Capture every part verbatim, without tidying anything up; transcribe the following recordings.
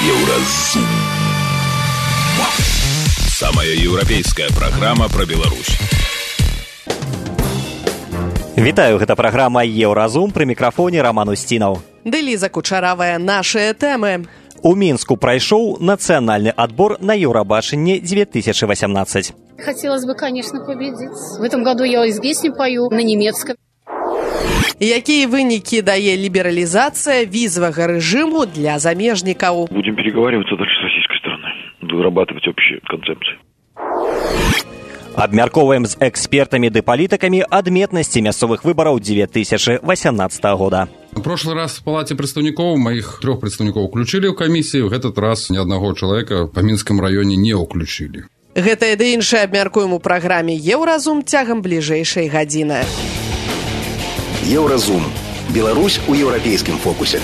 Еўразум. Самая еўрапейская праграма пра Беларусь. Вітаю, гэта праграма Еўразум, пры мікрафоне Роман Устінаў. Ды Ліза Кучаравая, нашыя тэмы. У Мінску прайшоў нацыянальны адбор на Еўрабачанне две тысячи восемнадцать. Хотелось бы, конечно, победить. В этом году я из песни пою на немецком. Якія вынікі дае лібералізацыя візавага рэжыму для замежнікаў? Будем переговариваться дальше с российской стороной, вырабатывать общие концепции. Абмяркоўваем з экспертамі ды палітыкамі адметнасці мясцовых выбараў две тысячи восемнадцатого года. В прошлый раз в Палате представников моих трех представников уключили в комиссию, в этот раз ни одного человека по Минскому районе не уключили. Гэта ды іншае абмяркуем у праграме Еўразум цягам бліжэйшай гадзіны. Еўразум. Беларусь у еўрапейскім фокусе.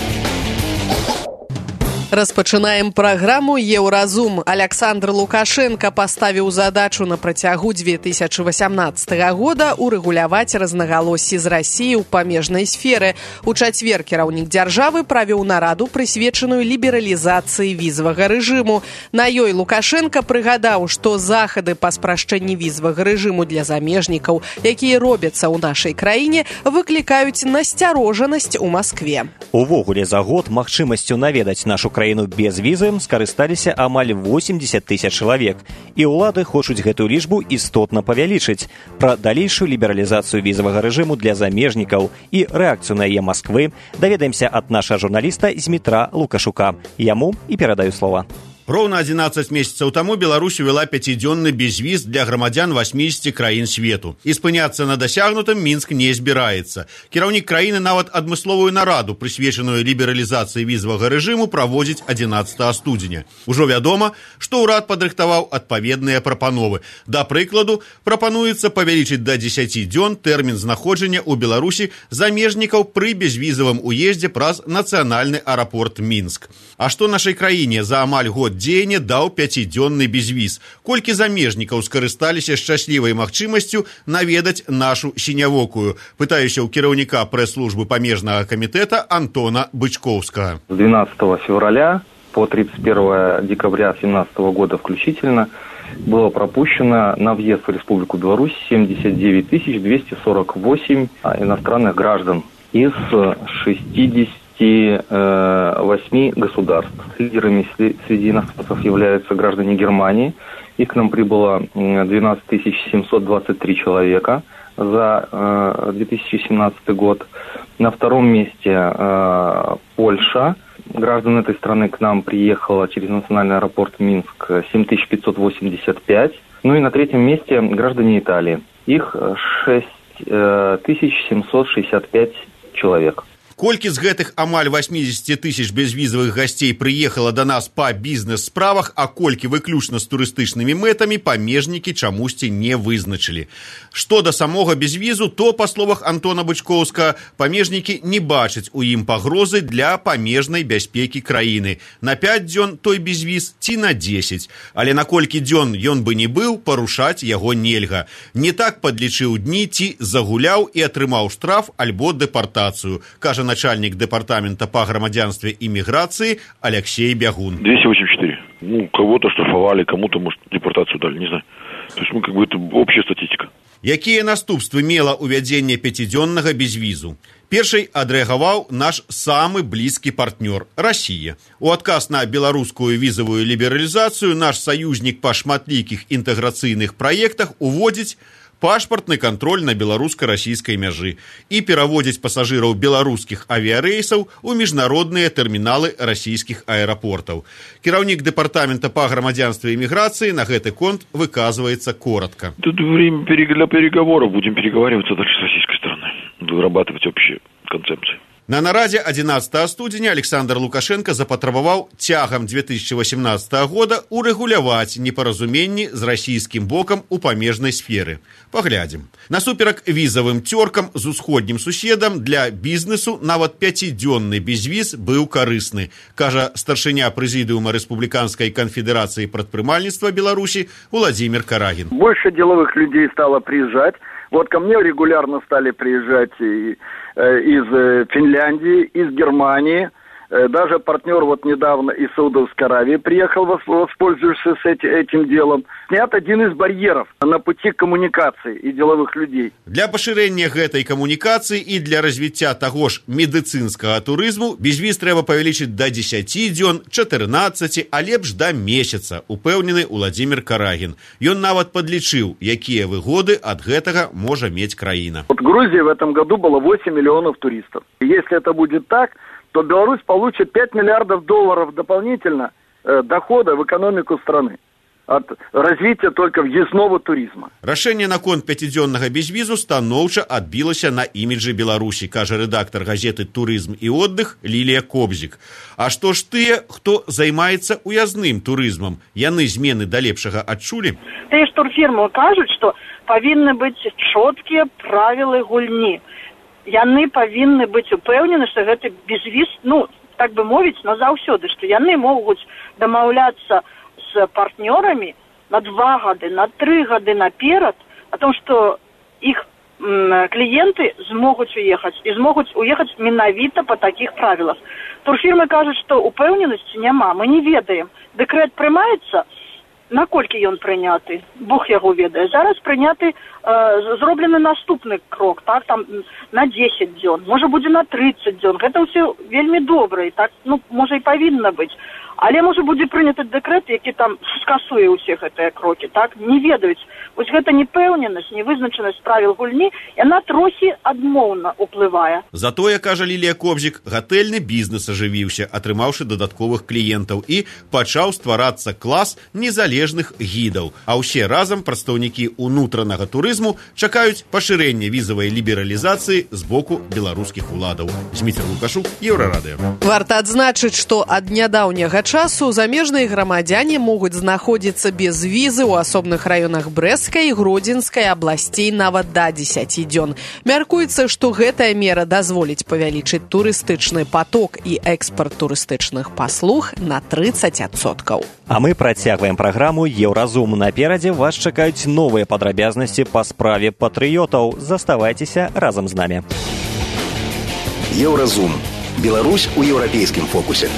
Распачынаем праграму Еўразум. Александр Лукашенко паставіў задачу на працягу две тысячи восемнадцатого года урэгуляваць рознагалоссі з Расіяй у памежнай сферы. У чацвер кіраўнік дзяржавы правёў нараду, прысвечаную лібералізацыі візавага рэжыму. На ёй Лукашенко прыгадаў, што захады па спрашчэнні візавага рэжыму для замежнікаў, якія робяцца ў нашай краіне, выклікаюць насцярожанасць у Маскве. Увогуле за год магчымасцю наведаць нашу краіну без візы скарысталіся амаль восемьдесят тысяч чалавек, і ўлады хочуць гэтую лічбу істотна павялічыць. Пра далейшую лібералізацыю візавага рэжыму для замежнікаў і рэакцыю на яе Масквы даведаемся ад нашага журналіста Змітра Лукашука. Яму і перадаю слова. Роўна адзінаццаць месяцаў таму Беларусь увяла пяцідзённы безвіз для грамадзян восьмидесяти краін свету. І спыняцца на дасягнутым Мінск не збіраецца. Кіраўнік краіны нават адмысловую нараду, прысвечаную лібералізацыі візавага рэжыму, праводзіць адзінаццатага студзеня. Ужо вядома, што ўрад падрыхтаваў адпаведныя прапановы. Да прыкладу, прапануецца павялічыць да дзесяці дзён тэрмін знаходжання ў Беларусі замежнікаў пры безвізавым уездзе праз нацыянальны аэрапорт Мінск. А што нашай краіне за амаль год дзеяння даў пяцідзённы безвіз? Колькі замежнікаў скарысталіся шчаслівай магчымасцю наведаць нашу сінявокую? Пытаюся ў кіраўніка прэс-службы памежнага камітэта Антона Бычковскага. С двенадцатого февраля по тридцать первое декабря две тысячи семнадцатого года включительно было пропущено на въезд в Республику Беларусь семьдесят девять тысяч двести сорок восемь иностранных граждан из шестидесяти восьми государств. Лидерами среди иностранцев являются граждане Германии. Их к нам прибыло двенадцать тысяч семьсот двадцать три человека за две тысячи семнадцатый год. На втором месте Польша. Граждан этой страны к нам приехало через национальный аэропорт Минск семь тысяч пятьсот восемьдесят пять. Ну и на третьем месте граждане Италии. Их шесть тысяч семьсот шестьдесят пять человек. Колькі з гэтых амаль восемьдесят тысяч безвізавых гасцей прыехала да нас па бізнес-справах, а колькі выключна з турыстычнымі мэтамі, памежнікі чамусьці не вызначылі. Што да самога безвізу, то, па словах Антона Бычковскага, памежнікі не бачаць у ім пагрозы для памежнай бяспекі краіны. На пяць дзён той безвіз ці на дзесяць. Але на колькі дзён ён бы не быў, парушаць яго нельга. Не так падлічыў дні ці загуляў і атрымаў штраф альбо дэпартацыю, кажа начальник департамента по громадянству и миграции Алексей Бягун. двести восемьдесят четыре. Ну, кого-то штрафовали, кому-то, может, депортацию дали, не знаю. То есть, мы как бы, это общая статистика. Якія наступствы мела увядзенне пяцідзённага безвізу? Першай адрэагаваў наш самы блізкі партнёр – Расія. У адказ на беларускую візавую лібералізацыю наш саюзнік па шматлікіх інтэграцыйных праектах уводзіць пашпартны кантроль на беларуска-расійскай мяжы і пераводзіць пасажыраў беларускіх авіярэйсаў у міжнародныя тэрміналы расійскіх аэрапортаў. Кіраўнік дэпартамента па грамадзянстве і міграцыі на гэты конт выказваецца коротко. Тут время для переговоров, будем переговариваться дальше с российской стороной, вырабатывать общие концепции. На нарадзе адзінаццатага студзеня Александр Лукашенко запатрабаваў цягам две тысячи восемнадцатого года урэгуляваць непаразуменні з расійскім бокам у памежнай сферы. Паглядзім. Насуперак візавым цёркам з усходнім суседам для бізнесу нават пяцідзённы безвіз быў карысны, кажа старшыня прэзідыума Рэспубліканскай канфедэрацыі прадпрымальніцтва Беларусі Владимир Карагин. Больше деловых людей стало приезжать. Вот ко мне регулярно стали приезжать и, э, из Финляндии, из Германии, Даже партнер вот недавно из Саудовской Аравии приехал, воспользовавшись этим делом. Снят один из барьеров на пути коммуникации и деловых людей. Для пашырэння гэтай камунікацыі і для развіцця таго ж медыцынскага турызму безвіз трэба павялічыць да дзесяці дзён, чатырнаццаці, а лепш да месяца, упэўнены Уладзімір Карагін. Ён нават падлічыў, якія выгоды ад гэтага можа мець краіна. Вот в Грузии в этом году было восемь миллионов туристов. Если это будет так, то Беларусь получит пять миллиардов долларов дополнительно э, дохода в экономику страны от развития только въездного туризма. Рашэнне наконт пяцідзённага безвізу станоўча адбілася на іміджы Беларусі, кажа рэдактар газеты «Турызм і отдых» Лілія Кобзік. А што ж тыя, хто займаецца уязным турызмам? Яны змены да лепшага адчулі? Тыя ж турфірмы кажуць, што павінны быць чоткія правілы гульні. Яны павінны быць упэўнены, што гэты безвіз, ну, так бы мовіць, назаўсёды, што яны могуць дамаўляцца с партнерами на два года, на три года наперед о том, что их м, клиенты смогут уехать и смогут уехать менавіта по таких правилах. Турфирмы кажут, что упэўненасці няма, мы не ведаем. Декрет прымаецца, наколькі ён прыняты, Бог яго ведае. Зараз прыняты, э, зроблены наступны крок, так, там на десять дзён, можа будзе на тридцать дзён. Гэта ўсё вельмі добра, і так, ну, можа і павінна быць. Але можа будзе прыняты дэкрэт, які там скасуе ўсе гэтыя крокі, так, не ведаюць. Вось гэта непэўненасць, невызначанасць правіл гульні, яна трохі адмоўна ўплывае. Затое, кажа Лілія Кобзік, гатэльны бізнес ажывіўся, атрымаўшы дадатковых кліентаў, і пачаў стварацца клас незалежных гідаў. А ўсе разам прадстаўнікі ўнутранага турызму чакаюць пашырэння візавай лібералізацыі з боку беларускіх уладаў. Зміцер Лукашук, Еўрарадыё. Варта адзначыць, што ад нядаўняга часу замежныя грамадзяне могуць знаходзіцца без візы ў асобных раёнах Брэсцкай і Гродзенскай абласцей нават да дзесяці дзён. Мяркуецца, што гэтая мера дазволіць павялічыць турыстычны паток і экспарт турыстычных паслуг на тридцать адсоткаў. А мы працягваем праграму «Еўразум». Наперадзе вас чакаюць новыя падрабязнасці па справе патрыётаў. Заставайцеся разам з намі. Еўразум. Беларусь у еўрапейскім фокусе.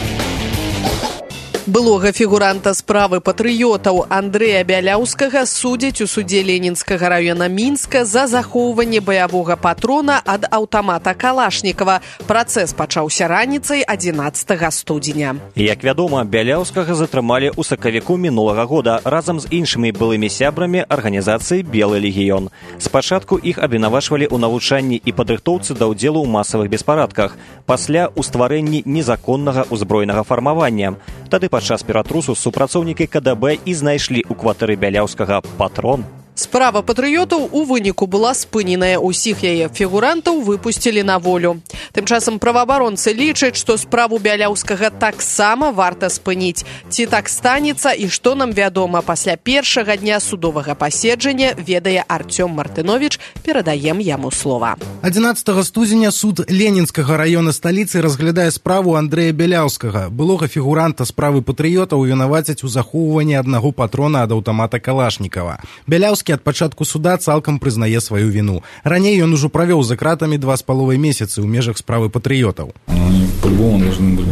Былога фігуранта справы патрыётаў Андрэя Бяляўскага судзяць у судзе Ленінскага раёна Мінска за захоўванне баявога патрона ад аўтамата Калашнікава. Працэс пачаўся раніцай адзінаццатага студзеня. Як вядома, Бяляўскага затрымалі ў сакавіку мінулага года разам з іншымі былымі сябрамі арганізацыі «Белы легіён». Спачатку іх абвінавачвалі ў навучанні і падрыхтоўцы да ўдзелу ў масавых беспарадках, пасля ў стварэнні незаконнага ўзброенага фармавання. Тады падчас ператрусу супрацоўнікі ка дэ бэ і знайшлі ў кватэры Бяляўскага патрон. Справа патрыётаў у выніку была спыненая. Усіх яе фігурантаў выпусцілі на волю. Тым часам праваабаронцы лічаць, што справу Бяляўскага таксама варта спыніць. Ці так станецца і што нам вядома пасля першага дня судовага паседжання, ведае Артём Мартыновіч, перадаем яму слова. адзінаццатага студзеня суд Ленінскага раёна сталіцы разглядае справу Андрэя Бяляўскага, былога фігуранта справы патрыётаў, вінавацяць у захоўванні аднаго патрона ад аўтамата Калашнікава. Бяляўскі ад пачатку суда цалкам прызнае сваю віну. Раней ён ужо правёў за кратамі два з паловай месяцы ў межах справы патрыётаў. Они по-любому должны были,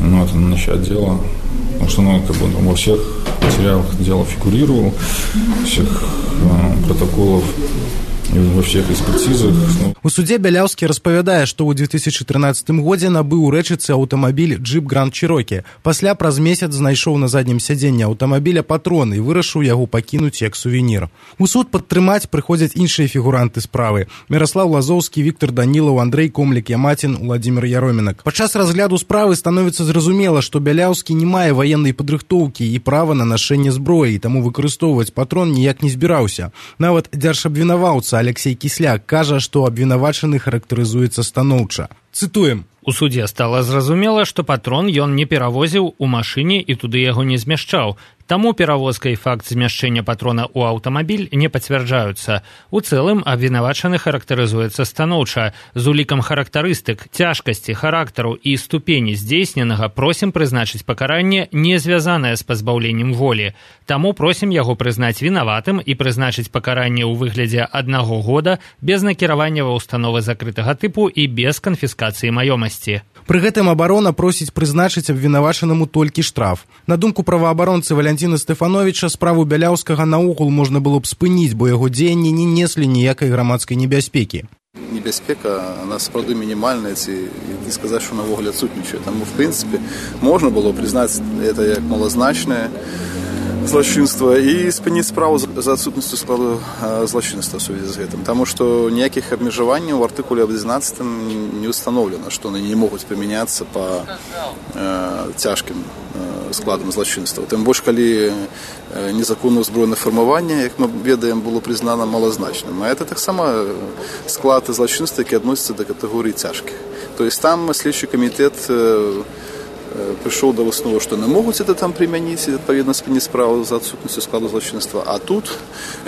ну, это начать дело, потому что, ну, как бы во всех материалах дело фигурировало, всех э, протоколов, во всех экспертизах. У судзе Бяляўскі распавядае, што ў две тысячы трынаццатым годзе набыў у рэчыцы аўтамабіль «Джип Гранд Чирокі». Пасля праз месяц знайшоў на заднім сядзенні аўтамабіля патрон і вырашыў яго пакінуць як сувенір. У суд падтрымаць прыходзяць іншыя фігуранты справы: Міраслаў Лазоўскі, Віктор Данілаў, Андрэй Комлік-Ямацін, Уладзімір Яромінак. Падчас разгляду справы становіцца зразумела, што Бяляўскі не мае ваеннай падрыхтоўкі і права на нашэнне зброі, таму выкарыстоўваць патрон ніяк не збіраўся. Нават дзяржабвінаваўца Алексей Кісляк кажа, што абвінавачаны характарызуецца станоўча. Цытуем. У судзе стала зразумела, што патрон ён не перавозіў у машыне і туды яго не змяшчаў. Таму перавозка і факт змяшчэння патрона ў аўтамабіль не пацвярджаюцца. У цэлым абвінавачаны характарызуецца станоўча. З улікам характарыстык, цяжкасці, характару і ступені здзейсненага просім прызначыць пакаранне, не звязанае з пазбаўленнем волі. Таму просім яго прызнаць вінаватым і прызначыць пакаранне ў выглядзе аднаго года без накіравання ва ўстановы закрытага тыпу і без канфіскацыі маёмасці. Пры гэтым абарона просіць прызначыць абвінавачанаму толькі штраф. На думку праваабаронцы Валянціна Стэфановіча, справу Бяляўскага наогул можна было б спыніць, бо яго дзеянні не неслі ніякай грамадскай небяспекі. Небяспека, она сапраўды мінімальная, ці не сказаць, што навогул адсутнічае. Таму, в прынцыпе, можна было прызнаць это як малазначнае злачынства і спыніць справу за адсутнасцю складу злачынства ў сувязі з гэтым. Таму што ніякіх абмежаванняў у артыкуле адзінаццатым не установлена, што яны не могуць прымяняцца па э, цяжкім э, складам злачынства. Тым больш, калі незаконнае ўзброенае фармаванне, як мы ведаем, было прызнана малазначным. А это таксама склад злачынства, які адносіцца да катэгорыі цяжкіх. То есть там следчы камітэт э, прыйшоў да высновы, што не могуць это там прымяніць, адпаведна спыніць справу за адсутнасцю складу злачынства, а тут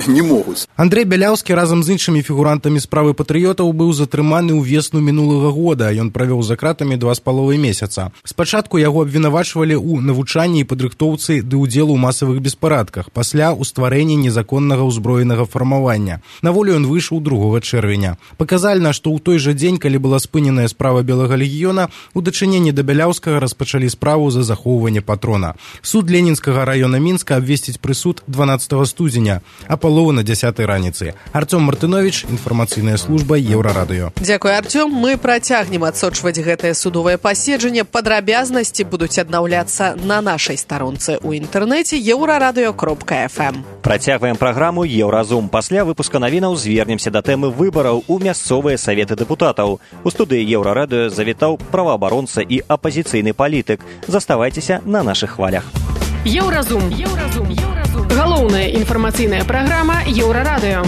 не могуць. Андрэй Бяляўскі разам з іншымі фігурантамі справы патрыётаў быў затрыманы ў весну мінулага года. Ён правёў за кратамі два з паловай месяца. Спачатку яго абвінавачвалі ў навучанні і падрыхтоўцы ды ўдзелу ў масавых беспарадках, пасля ў стварэнні незаконнага ўзброенага фармавання. На волю ён выйшаў другога чэрвеня. Паказальна, што ў той жа дзень, калі была спыненая справа Белага легіёна, у дачыненні да Бяляўскага распачалі справу за захоўванне патрона. Суд Ленінскага раёна Мінска абвесціць прысуд дванаццатага студзеня, а палову на дзясятай раніцы. Артём Мартынович, інфармацыйная служба Еўрарадыё. Дзякуй, Артём. Мы працягнем адсочваць гэтае судовае паседжанне. Падрабязнасці будуць аднаўляцца на нашай старонцы ў інтэрнэце еўрарадыё кропка эф эм. Працягваем праграму «Еўразум». Пасля выпуска навінаў звернемся да тэмы выбараў у мясцовыя саветы дэпутатаў. У студыі Еўрарадыё завітаў праваабаронца і апазіцыйны палітык. Заставайцеся на нашых хвалях. Еўразум. Еўразум. Еўразум. Галоўная інфармацыйная праграма Еўрарадыё.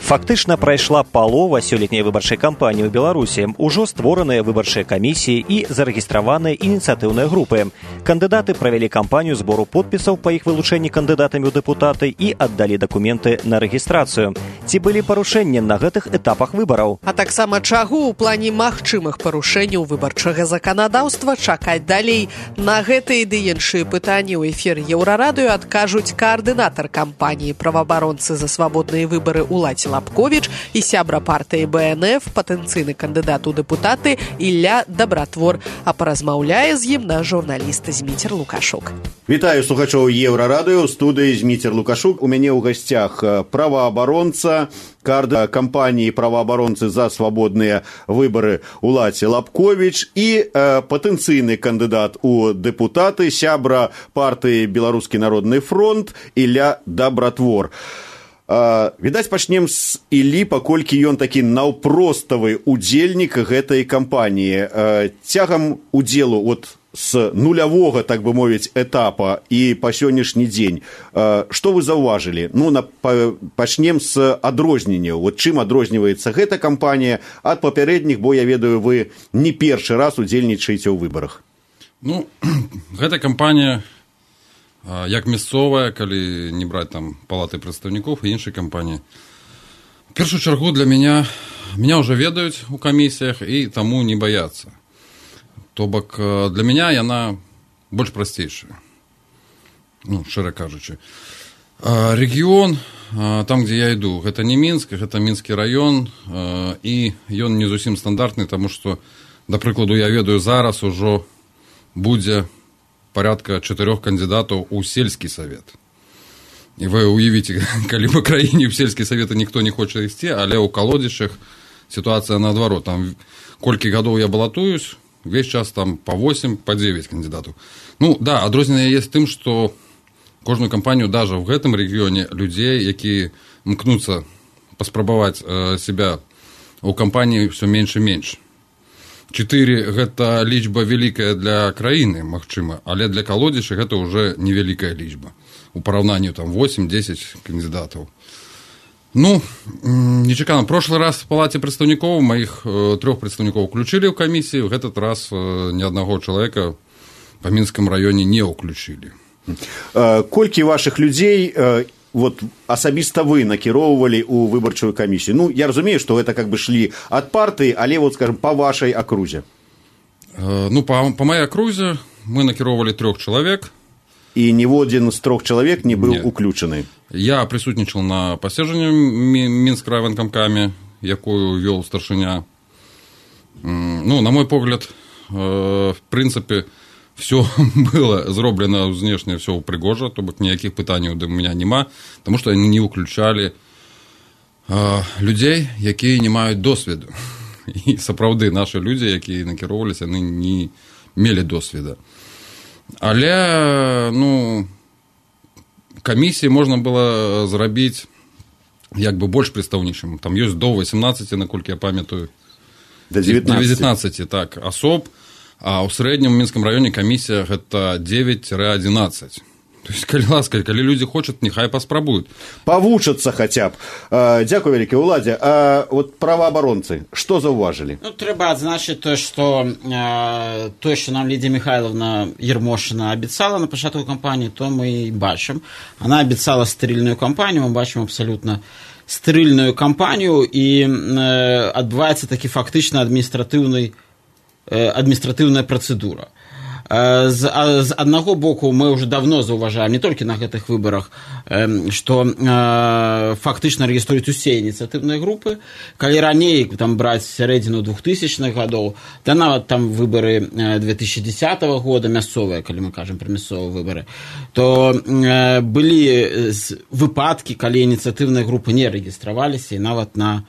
Фактычна прайшла палова сёлетняй выбарчай кампаніі ў Беларусі. Ужо створаныя выбарчыя камісіі і зарэгістраваныя ініцыятыўныя групы. Кандыдаты правялі кампанію збору подпісаў па іх вылучэнні кандыдатамі ў дэпутаты і аддалі дакументы на рэгістрацыю. Ці былі парушэнні на гэтых этапах выбараў? А таксама чаго ў плане магчымых парушэнняў выбарчага заканадаўства чакаць далей? На гэтыя ды іншыя пытанні ў эфіры Еўрарадыё адкажуць каардынатар кампаніі праваабаронцы за свабодныя выбары Уладзі Лапковіч і сябра партыі бэ эн эф, патэнцыйны кандыдат у дэпутаты Ілля Дабратвор. А паразмаўляе з ім наш журналіст Зміцер Лукашук. Вітаю слухачоў Еўрарадыё, у студыі Зміцер Лукашук. У мяне ў гасцях праваабаронца, каардынатар кампаніі праваабаронцы за свабодныя выбары Уладзі Лапковіч і э, патэнцыйны кандыдат у дэпутаты, сябра партыі Беларускі народны фронт Ілля Дабратвор. Uh, відаць, пачнем з Іллі, паколькі ён такі наўпроставы удзельнік гэтай кампаніі. Uh, цягам удзелу от з нулявога, так бы мовіць, этапа і па сённяшні дзень, uh, што вы заўважылі? Ну, на, па, пачнем з адрозненняў. Вот чым адрозніваецца гэта кампанія ад папярэдніх, бо я ведаю, вы не першы раз удзельнічаеце ў выбарах. Ну, гэта кампанія як мясцовая, калі не браць там палаты прадстаўнікоў і іншай кампаніі. В першую чаргу для меня, меня уже ведаюць у камісіях і таму не баяцца. То бок для меня яна больш прасцейшая. Ну, шчыра кажучы. Рэгіён, там, дзе я іду, гэта не Мінск, гэта Мінскі раён, і ён не зусім стандартны, таму што, да прыкладу, я ведаю, зараз ужо будзе порядка чатырох кандидатаў у сельскі савет. І вы уявіце, калі па краіне ў сельскі саветы ніхто не хоча ісці, але ў калодзішах сітуацыя наадварот. Там колькі гадоў я балатуюсь, увесь час там па восем, па дзевяць кандидатаў. Ну, да, адрозненне есть тым, што кожную кампанію, даже в гэтым рэгіёне, людзей, якія мкнуцца паспрабаваць э, себя у кампаніі ўсё менш і менш. Чатыры гэта лічба вялікая для краіны, магчыма, але для калодзіша гэта ўжо невялікая лічба. У параўнанні там восем-дзесяць кандыдатаў. Ну, нечакана. Прошлы раз в палаце прадстаўнікоў маіх э, трох прадстаўнікоў уключылі ў камісію, в этот раз э, ні аднаго чалавека по Минскому районе не уключили. Колькі ваших людзей вот асабіста вы накіроўвалі ў выбарчую камісію? Ну, я разумею, што гэта как бы шлі ад партыі, але вот, скажем, по вашай акрузе. Ну, по, по моей окрузе мы накіроўвалі трёх чалавек. І ніводзін з трох чалавек не быў уключаны. Я присутнічал на паседжанні Мінскай райвыканкаме, якую вёл старшыня. Ну, на мой погляд, в принципе, все было зроблено знешне, все пригожа, то бок ніякіх пытанняў да меня нема, тому што яны не выключалі людзей, якія не маюць досведу. І сапраўды нашы людзі, якія накіроўваліся, яны не мелі досведа. Але, ну, камісіі можна было зрабіць як бы больш прадстаўнічым. Там ёсць до восемнадцати, наколькі я памятаю. До девятнадцати. До девятнадцати, так, асоб. А ў срэднім Мінскім раёне камісія гэта девять-одиннадцать. То есть, калі ласка, калі людзі хочуць, няхай паспрабуюць. Павучацца хаця б. Дзякуй вялікі, Уладзе. А вот праваабаронцы, што заўважылі? Ну, трэба адзначыць тое, што э, тое, што нам Лідія Михайловна Ермошина абяцала на пачатку кампаніі, то мы і бачым. Она абяцала стерильную кампанію, мы бачым абсалютна стерильную кампанію, і э, адбываецца такі фактычна адміністратыўны адміністратыўная працэдура. З, з аднаго боку мы ўжо давно заўважаем, не толькі на гэтых выбарах, што фактычна рэгіструюць усе ініцыятыўныя групы. Калі раней там браць сярэдзіну двухтысячных гадоў, да нават там выбары две тысячи десятого года, мясцовыя, калі мы кажам пра мясцовыя выбары, то былі выпадкі, калі ініцыятыўныя групы не рэгістраваліся і нават на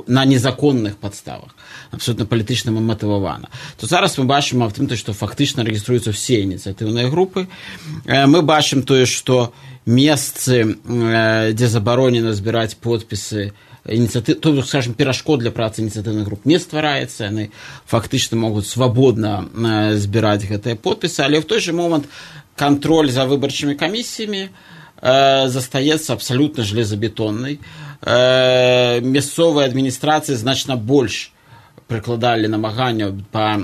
на незаконных падставах, абсолютно палітычна матывавана. То зараз мы бачым аб тым, што фактычна рэгіструюцца ўсе ініцыятыўныя групы. Мы бачым тое, што месцы, дзе забаронена збіраць подпісы, ініцыятыў, то, скажем, перашкод для працы ініцыятыўных груп не ствараецца, яны фактычна могуць свабодна збіраць гэтыя подпісы, але в той же момант кантроль за выбарчымі камісіямі застаецца абсалютна железабетоннай. Мясцовыя адміністрацыі значна больш прыкладалі намаганняў па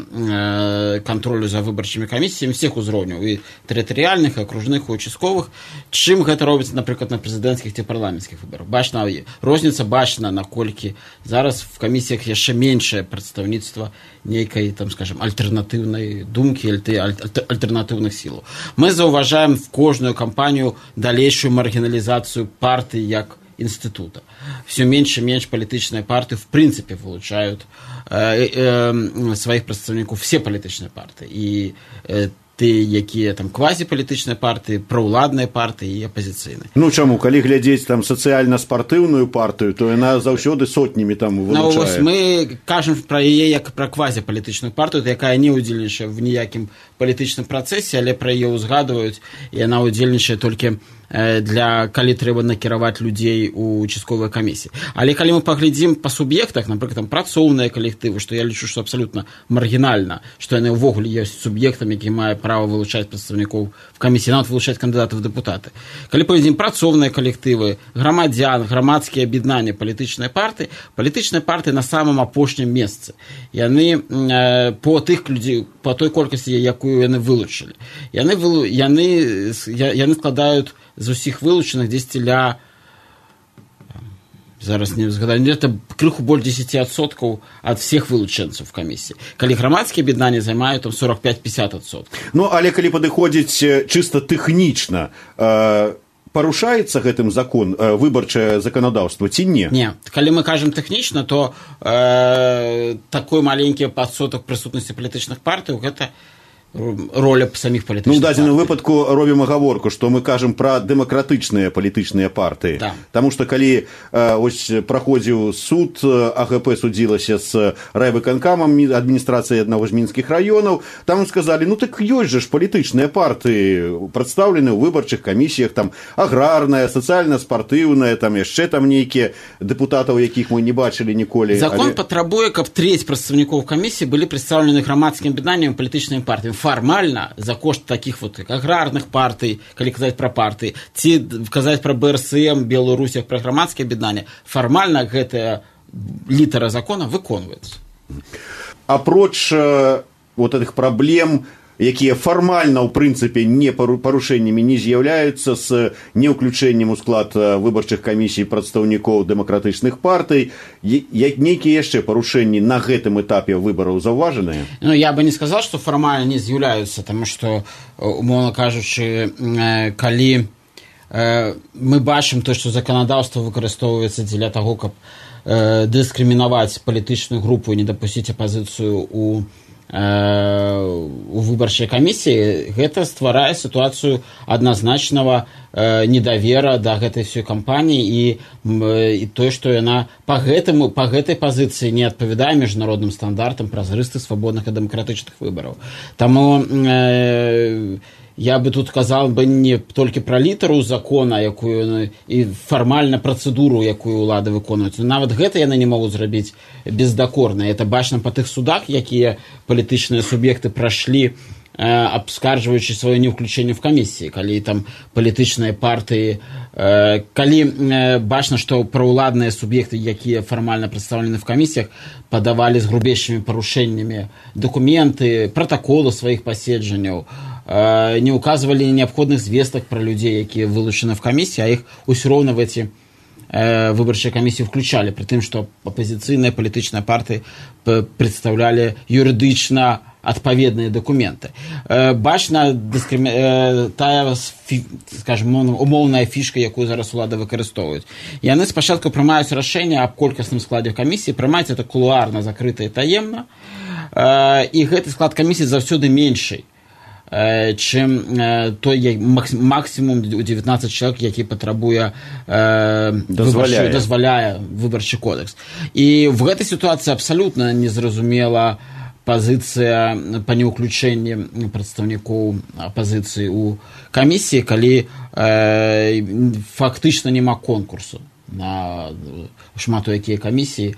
кантролю за выбарчымі камісіямі всех узроўняў, і тэрытарыяльных, і акружных, і участковых, чым гэта робіцца, напрыклад, на прэзідэнцкіх ці парламенцкіх выбарах. Бачна, розніца бачна, наколькі зараз в камісіях яшчэ меншае прадстаўніцтва нейкай, там, скажем, альтэрнатыўнай думкі, альтэрнатыўных сілаў. Мы заўважаем в кожную кампанію далейшую маргіналізацыю партыі як института. Все меньше и меньше палітычныя партыі в принципе вылучают э, э, сваіх прадстаўнікоў, все палітычныя партыі, і э, тыя, якія там квазіпалітычныя партыі, праўладныя партыі і апазіцыйныя. Ну чаму, калі глядзець там сацыяльна-спартыўную партыю, то яна заўсёды сотнямі там вылучае. Ну, вось мы кажам пра яе як пра квазіпалітычную партыю, якая не ўдзельнічае в ніякім палітычным працэсе, але пра яе ўзгадваюць, і яна ўдзельнічае толькі для, калі трэба накіраваць людзей у участковыя камісіі. Але калі мы паглядзім па суб'ектах, напрыклад, там працоўныя калектывы, што я лічу, што абсалютна маргінальна, што яны ўвогуле ёсць суб'ектам, які мае права вылучаць прадстаўнікоў в камісіі, нават вылучаць кандыдатаў в дэпутаты. Калі паглядзім працоўныя калектывы, грамадзян, грамадскія аб'яднанні, палітычныя партыі, палітычныя партыі на самым апошнім месцы. Яны э, по тых людзей, по той колькасці, якую яны вылучылі. Яны, вылу, яны, яны складаюць з усіх вылучаных дзесьці ля, зараз не згадаю, это крыху больш десять адсоткаў ад всех вылучэнцаў в камісіі. Калі грамадскія аб'яднанні займаюць там сорок пять-пятьдесят адсоткаў. Ну, але калі падыходзіць чыста тэхнічна, э, парушаецца гэтым закон, э, выбарчае заканадаўства ці не? Не. Калі мы кажам тэхнічна, то э, такой маленькі адсотак прысутнасці палітычных партый, гэта роля самих палітычных партый. Ну, в дадзеным выпадку робім агаворку, што мы кажам пра дэмакратычныя палітычныя партыі. Да. Таму што калі э, ось праходзіў суд, АГП судзілася з райвыканкамам адміністрацыі аднаго з мінскіх раёнаў, там сказалі, ну так ёсць жа ж палітычныя партыі, прадстаўлены ў выбарчых камісіях, там аграрная, сацыяльна-спартыўная, там яшчэ там нейкія дэпутатаў, якіх мы не бачылі ніколі. Закон але... патрабуе, каб трэць прадстаўнікоў камісіі былі прадстаўлены грамадскім аб'яднаннем палітычнымі партыямі. Формально за кошт таких вот аграрных партый, калі казаць пра партыі, ці казаць пра БРСМ, Беларусь, пра грамадскія аб'яднанні, фармальна гэтая літара закона выконваецца. Апроч э, вот этих проблем якія фармальна ў прынцыпе не парушэннямі не з'яўляюцца з неўключэннем у склад выбарчых камісій прадстаўнікоў дэмакратычных партый. Нейкія яшчэ парушэнні на гэтым этапе выбараў заўважаныя? Ну, я бы не сказал, что формально не з'яўляюцца, тому что, умоўна кажучы, калі мы бачым то, што заканадаўства выкарыстоўваецца дзеля таго, каб дыскрымінаваць палітычную групу і не дапусціць апазіцыю у у выбарчай камісіі, гэта стварае сітуацыю адназначнага недавера да гэтай всёй кампаніі і, і тое, што яна па гэтаму, па гэтай пазіцыі не адпавядае міжнародным стандартам празрыстых, свабодных і дэмакратычных выбараў. Таму э, я бы тут казал бы не толькі пра літару закона, якую і фармальна працэдуру, якую ўлады выконваюць. Нават гэта яны не могуць зрабіць бездакорна. Это бачна па тых судах, якія палітычныя суб'екты прашлі, абскарджваючы сваё неўключэнне в камісіі, калі там палітычныя партыі, калі бачна, што праўладныя суб'екты, якія фармальна прадстаўлены в камісіях, падавалі з грубейшымі парушэннямі дакументы, пратаколы сваіх паседжанняў, не указывали необходных звесток про людей, якія вылучаны в камісіі, а их ўсё роўна в эти э, выбарчыя камісіі включали, при тым, што апозіцыйныя палітычныя партыі представляли юрыдычна адпаведныя документы. Э, бачна дыскрimi... э, тая, скажем, умоўная фішка, якую зараз улады выкарыстоўваюць. Яны спачатку прымаюць рашэнне аб колькасным складзе камісіі, прымаюць это кулуарна, закрыта і таемна, э, і гэты склад камісіі заўсёды меншый, чым той максімум у девятнадцать чалавек, які патрабуе дазваляе. дазваляе выбарчы кодекс. І в гэтай сітуацыі абсалютна незразумела пазіцыя па неўключэнні прадстаўнікоў апазіцыі ў камісіі, калі э, фактычна няма конкурсу на шмат у якія камісіі,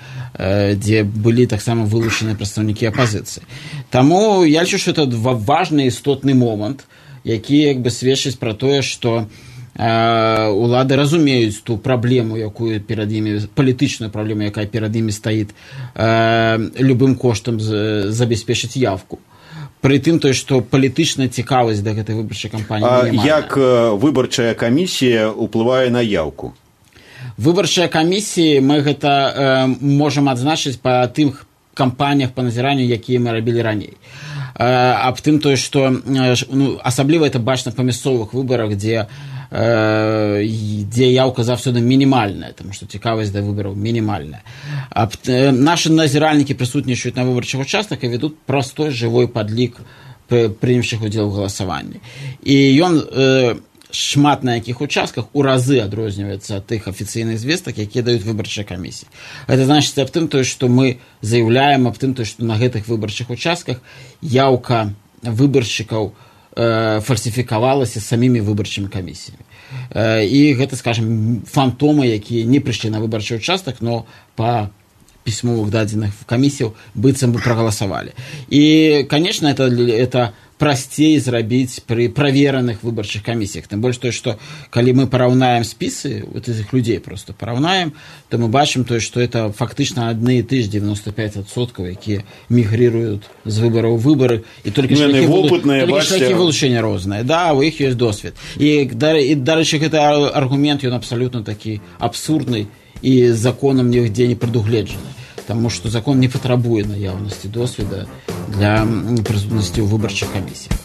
дзе былі таксама вылучаныя прадстаўнікі апазіцыі. Таму я лічу, што это важны істотны момант, які як бы сведчыць пра тое, што улады разумеюць ту праблему, якую перад імі, палітычную праблему, якая перад імі стаіць, любым коштам забяспечыць явку. Пры тым той, што палітычная цікавасць да гэтай выбарчай кампаніі немає. Як выбарчая камісія ўплывае на яўку? Выбарчыя камісіі мы гэта э, можам адзначыць па тым кампаніях па назіранню, якія мы рабілі раней. Э, аб тым тое, што э, ну, асабліва это бачна па мясцовых выбарах, дзе, э, дзе яўка заўсёды мінімальная, таму што цікавасць да выбараў мінімальная. Аб, э, нашы назіральнікі прысутнічаюць на выбарчых участках і ведуць простой жывой падлік прынявшых удзел у галасаванні. І ён э, шмат на якіх участках у разы адрозніваецца ад тых афіцыйных звестак, якія даюць выбарчыя камісіі. Гэта значыць аб тым, тое, што мы заяўляем аб тым, тое, што на гэтых выбарчых участках яўка выбаршчыкаў э, фальсіфікавалася самімі выбарчымі камісіямі. Э, і гэта, скажем, фантомы, якія не прыйшлі на выбарчы участак, но па пісьмовых дадзеных камісіяў быццам бы прагаласавалі. І, конечно, это, это прасцей зрабіць пры правераных выбарчых камісіях. Тым больш тое, што калі мы параўнаем спісы вот этих людзей, просто параўнаем, то мы бачым тое, што это фактычна адны і ты ж девяносто пять адсоткаў, якія мігрыруюць з выбараў у выбары, і толькі шляхі вылучэння розныя. Да, у іх ёсць досвед. І, дарэчы, гэты аргумент, ён абсалютна такі абсурдны і законам нігде не прадугледжаны. Таму што закон не патрабуе наяўнасці досведа для прысутнасці ў выбарчых камісіях.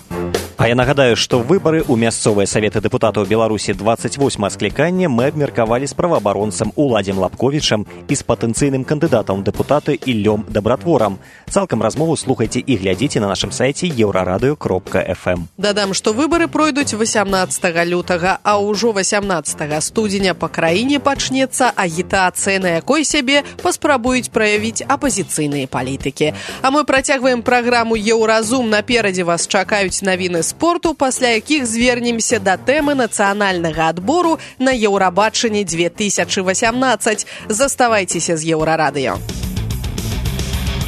А я нагадаю, што выбары ў мясцовыя саветы дэпутатаў Беларусі двадцать восьмае склікання мы абмеркавалі з праваабаронцам Уладзем Лапковічам і з патэнцыйным кандыдатам дэпутаты Іллём Дабратворам. Цалкам размову слухайце і глядзіце на нашым сайце еўрарадыё кропка эф эм. Дадам, што выбары пройдуць восемнадцатага лютага, а ўжо восемнадцатага студзеня па краіне пачнецца агітацыя, на якой сябе паспрабуюць праявіць апазіцыйныя палітыкі. А мы працягваем праграму «Еўразум». Наперадзе вас чакаюць навіны спорту, пасля якіх звернемся да тэмы нацыянальнага адбору на Еўрабачанне две тысячи восемнадцать. Заставайцеся з Еўрарадыё.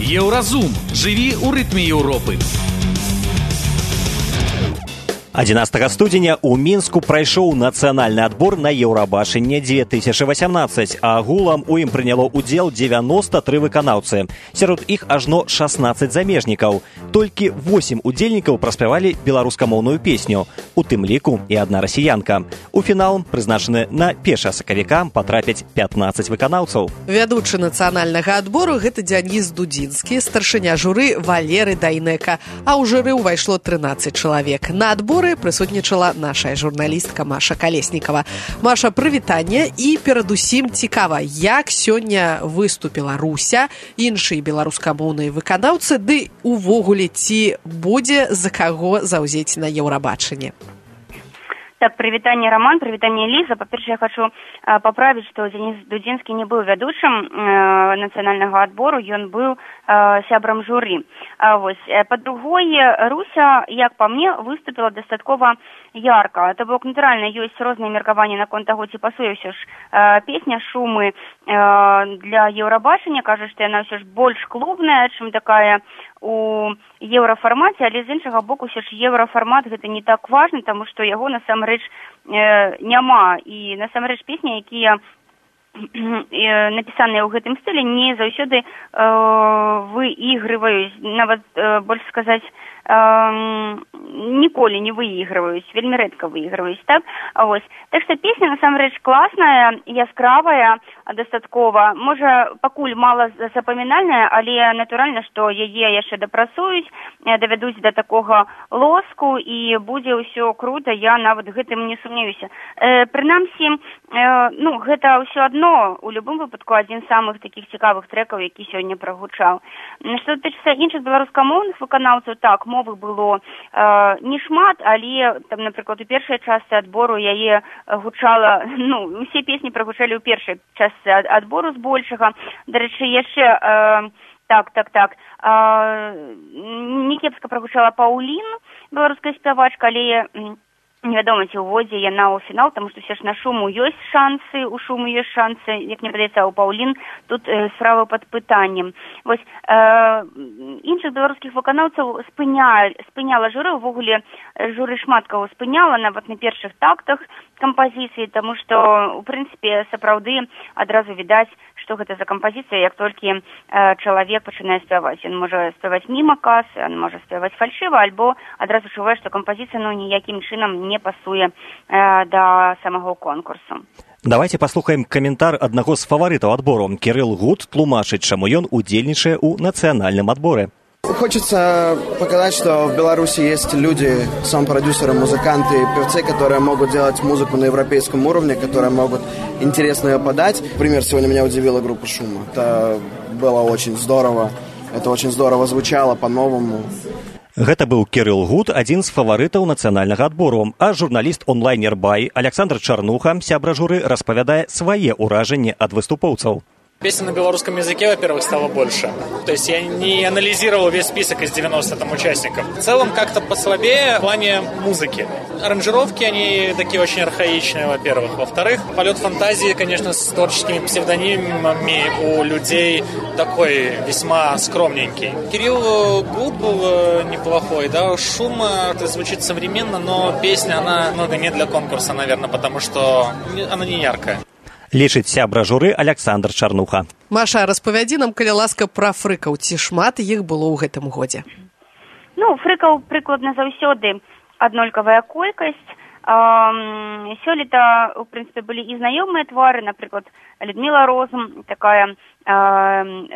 Еўразум. Жыві ў рытме Еўропы. адзінаццатага студзеня ў мінску прайшоў нацыянальны адбор на еўрабачанне дзве тысячы васямнаццаць, а агулам у ім прыняло ўдзел дзевяноста тры выканаўцы. Сярод іх ажно шаснаццаць замежнікаў. Толькі восем удзельнікаў праспявалі беларускамоўную песню, у тым ліку і адна расіянка. У фінал, прызначаны на першага сакавіка, патрапяць пятнаццаць выканаўцаў. Вядучы нацыянальнага адбору гэта Дзяніс Дудзінскі, старшыня журы Валеры Дайнека, а ў журы ўвайшло трынаццаць чалавек. На адборы прысутнічала нашая журналістка Маша Калеснікава. Маша, прывітанне і перадусім цікава, як сёння выступіла Руся, іншыя беларускамоўныя выканаўцы, ды увогуле ці будзе за каго заўзець на еўрабачанне? Так, прывітанне, Роман, прывітанне, Ліза. Па-першае, я хочу э, паправіць, што Дзяніс Дудзінскі не быў вядучым э, нацыянальнага адбору, ён быў э, сябрам журы. А, вось. Па-другое, Руся, як па мне, выступила дастаткова ярка. То бок, натуральна, ёсць розныя меркаванні наконт таго, ці пасуе ўсё ж э, песня «Шумы» э, для еўрабачання. Кажа, што яна ўсё ж больш клубная, чым такая у еўрафармаце, але з іншага боку ўсё ж еўрафармат гэта не так важны, таму што яго насамрэч э, няма, і насамрэч песні, якія э, напісаныя ў гэтым стылі, не заўсёды э, выігрываюць, нават э, больш сказаць, э, ніколі не выігрываюць, вельмі рэдка выігрываюць, так? А вось. Так што песня насамрэч класная, яскравая, дастаткова. Можа, пакуль мала запамінальная, але натуральна, што яе яшчэ дапрацуюць, давядуць да такога лоску, і будзе ўсё крута, я нават гэтым не сумнеюся. Э, прынамсі, э, ну, гэта ўсё адно, у любым выпадку, адзін з самых такіх цікавых трэкаў, які сёння прагучаў. Што датычыцца іншых беларускамоўных выканаўцаў, так, мовы было э, не шмат, але, там, напрыклад, у першай частцы адбору яе гучала, ну, усе песні прагучалі ў першай частцы адбору збольшага. Дарэчы, яшчэ э, так, так, так э, некепска прагучала Паўлін, беларуская спявачка, але невядома, ці ўводзе яна ў фінал, таму што ўсе ж на Шуму ёсць шансы, у Шуму ёсць шансы, як мне падаецца, а ў Паўлін тут э, справа пад пытаннем. Вось, э, іншых беларускіх выканаўцаў спыня, спыняла журы, увогуле журы шмат каго спыняла, нават на першых тактах кампазіцыі, таму што, у прынцыпе, сапраўды адразу відаць, што гэта за кампазіцыя, як толькі э, чалавек пачынае спяваць. Ён можа спяваць міма кас, ён можа спяваць фальшыва, альбо адразу чувае, што кампазіцыя, ну, ніякім чынам не пасуе э, да самого конкурсу. Давайте паслухаем каментар аднаго з фаварытаў адбору. Кірыл Гуд тлумачыць, чаму ён удзельнічае ў нацыянальным адборе. Хочется показать, что в Беларуси есть люди, саунд-продюсеры, музыканты, певцы, которые могут делать музыку на европейском уровне, которые могут интересно ее подать. Например, сегодня меня удивила группа «Шума». Это было очень здорово. Это очень здорово звучало по-новому. Гэта быў Кірыл Гуд, адзін з фаварытаў нацыянальнага адбору, а журналіст онлайнер Бай Александр Чарнуха, сябра журы, распавядае свае ўражанні ад выступоўцаў. Песен на белорусском языке, во-первых, стало больше. То есть я не анализировал весь список из девяноста там участников. В целом как-то послабее в плане музыки. Аранжировки, они такие очень архаичные, во-первых. Во-вторых, полет фантазии, конечно, с творческими псевдонимами у людей такой весьма скромненький. Кирилл Гуд был неплохой, да. Шум, это звучит современно, но песня, она много не для конкурса, наверное, потому что она не яркая. Лічыць сябра журы Александр Чарнуха. Маша, распавядзі нам, калі ласка, пра фрыкаў. Ці шмат іх было ў гэтым годзе? Ну, фрыкаў прыкладна заўсёды аднолькавая колькасць. Эм, сёлета, у прынцыпе, былі і знаёмыя твары, напрыклад, Людмила Розум, такая э,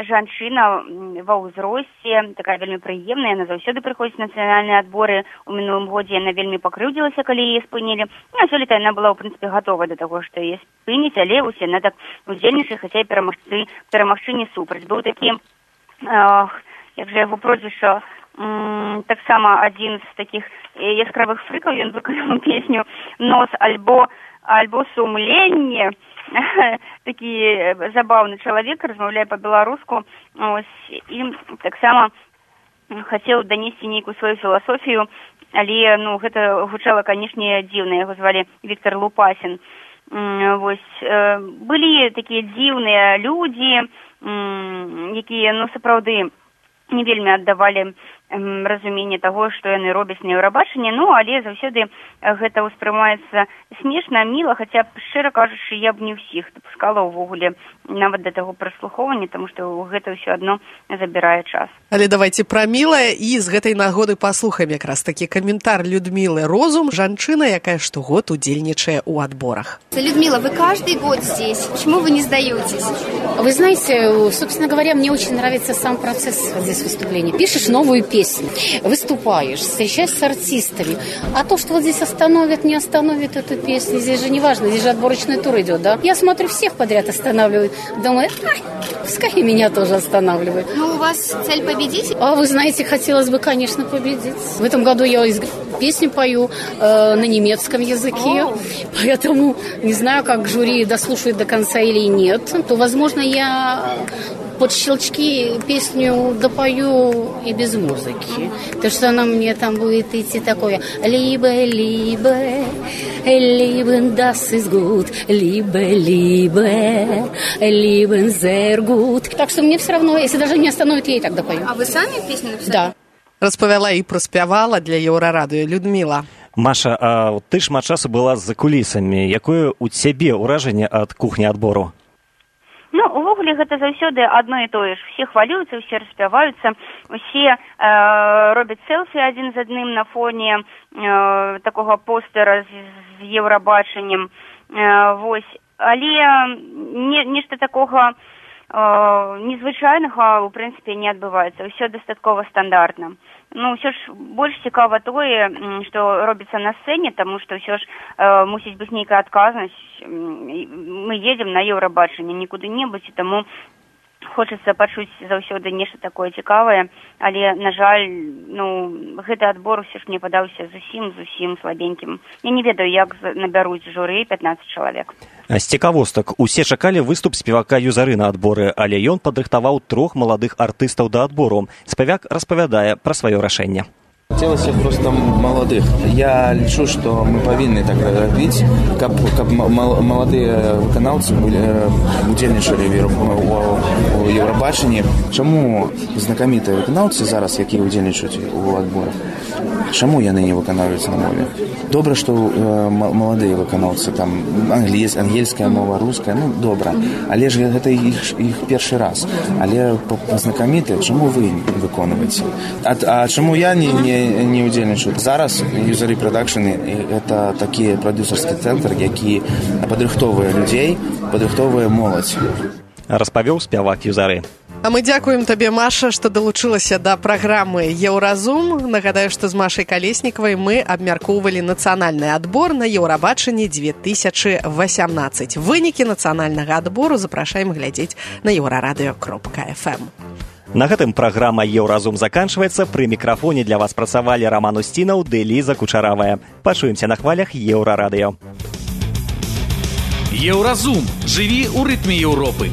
жанчына ва ўзросце, такая вельмі прыемная, яна заўсёды прыходзіць на нацыянальныя адборы. У мінулым годзе яна вельмі пакрыўдзілася, калі яе спынілі. Ну, а сёлета яна была, у прынцыпе, гатова да таго, што яе спыніць, але ўсе яна так удзельнічае, хаця і перамагчы, перамагчы не супраць. Быў такі, э, як жа яго прозвішча, м, таксама адзін з такіх яскравых фрыкаў, ён выканаў песню «Нос» альбо, альбо «Сумленне». Такі забаўны чалавек, размаўляе па-беларуску, і таксама хацеў данесці нейкую сваю філасофію, але, ну, гэта гучала, канешне, дзіўна. Яго звалі Віктор Лупасін. Вось, былі такія дзіўныя людзі, якія, ну, сапраўды не вельмі аддавалі разуменне таго, што яны робяць на Еўрабачанні, ну, але заўсёды гэта ўспрымаецца смешна, міла, хаця, шчыра кажучы, я б не ўсіх дапускала ўвогуле нават да таго праслухоўвання, таму што гэта ўсё адно забірае час. Але давайте пра мілае, і з гэтай нагоды паслухаем якраз такі каментар Людмілы Розум, жанчына, якая штогод удзельнічае ў адборах. Людмила, вы каждый год здесь. Почему вы не сдаетесь? Вы знаете, собственно говоря, мне очень нравится сам процесс здесь выступления. Пишешь новую песню, выступаешь, встречаешься с артистами. А то, что вот здесь остановят, не остановят эту песню, здесь же не важно, здесь же отборочный тур идет, да? Я смотрю, всех подряд останавливают. Думаю, ай, пускай и меня тоже останавливают. Ну, у вас цель победить? А вы знаете, хотелось бы, конечно, победить. В этом году я песню пою э, на немецком языке, О. поэтому не знаю, как жюри дослушает до конца или нет, то, возможно, я под щелчки песню допою и без музыки. То, что она мне там будет идти такое «Либе, либе, либен das ist gut, либе, либе, либен sehr gut». Так что мне все равно, если даже не остановит, я и так допою. А вы сами песню написали? Да. Распавяла і праспявала для Еўрарадыё Людміла. Маша, а ты шмат часу была за кулісамі. Якое у цябе ўражанне ад кухні адбору? Ну, увогуле гэта заўсёды адно і тое ж. Усе хвалююцца, усе распяваюцца, усе э, робяць селфі адзін з адным на фоне э, такога постера з, з Еўрабачаннем. Э, вось. Але не, нешта такога незвычайнага, у прынцыпе, не адбываецца. Усё дастаткова стандартна. Ну, ўсё ж больш цікава тое, што робіцца на сцэне, таму што ўсё ж э, мусіць быць нейкая адказнасць. Мы едзем на Еўрабачанне, не куды-небудзь, і таму хочацца пачуць заўсёды нешта такое цікавае, але, на жаль, ну, гэты адбор усё ж мне падаўся зусім-зусім слабенькім. Я не ведаю, як набяруць журы пятнаццаць чалавек. З цікавостак, усе чакалі выступ спевака Юзары на адборы, але ён падрыхтаваў трох маладых артыстаў да адбору. Спевак распавядае пра сваё рашэнне. Хотелось просто молодых. Я лічу, что мы повинны так робить, как, как молодые выканаўцы удзельнічалі у Еўрабачанні. Чаму знакамітыя выканаўцы зараз, якія удзельнічаюць у адборах, чаму яны не выканаюць на мове? Добра, што э, маладыя выканаўцы, там англійс, ангельская мова, руская, ну добра, але ж гэта іх, іх першы раз. Але знакамітыя, чаму вы выконваеце? А, а чаму я не, не не удзельнічаю. Зараз Юзары Продакшн это такі прадюсерскі цэнтр, які падрыхтоўвае людзей, падрыхтоўвае моладзь. Распавёў спявак Юзары. А мы дзякуем табе, Маша, што далучылася да праграмы «Еўразум». Нагадаю, што з Машай Калеснікавай мы абмяркоўвалі нацыянальны адбор на Еўрабачанні две тысячы восемнадцать. Вынікі нацыянальнага адбору запрашаем глядзець на еўрарадыё кропка эф эм. На гэтым праграма «Еўразум» заканчваецца. Пры мікрафоне для вас працавалі Роман Устінаў ды Ліза Кучаравая. Пачуемся на хвалях Еўрарадыё. Еўразум. Жыві ў рытме Еўропы.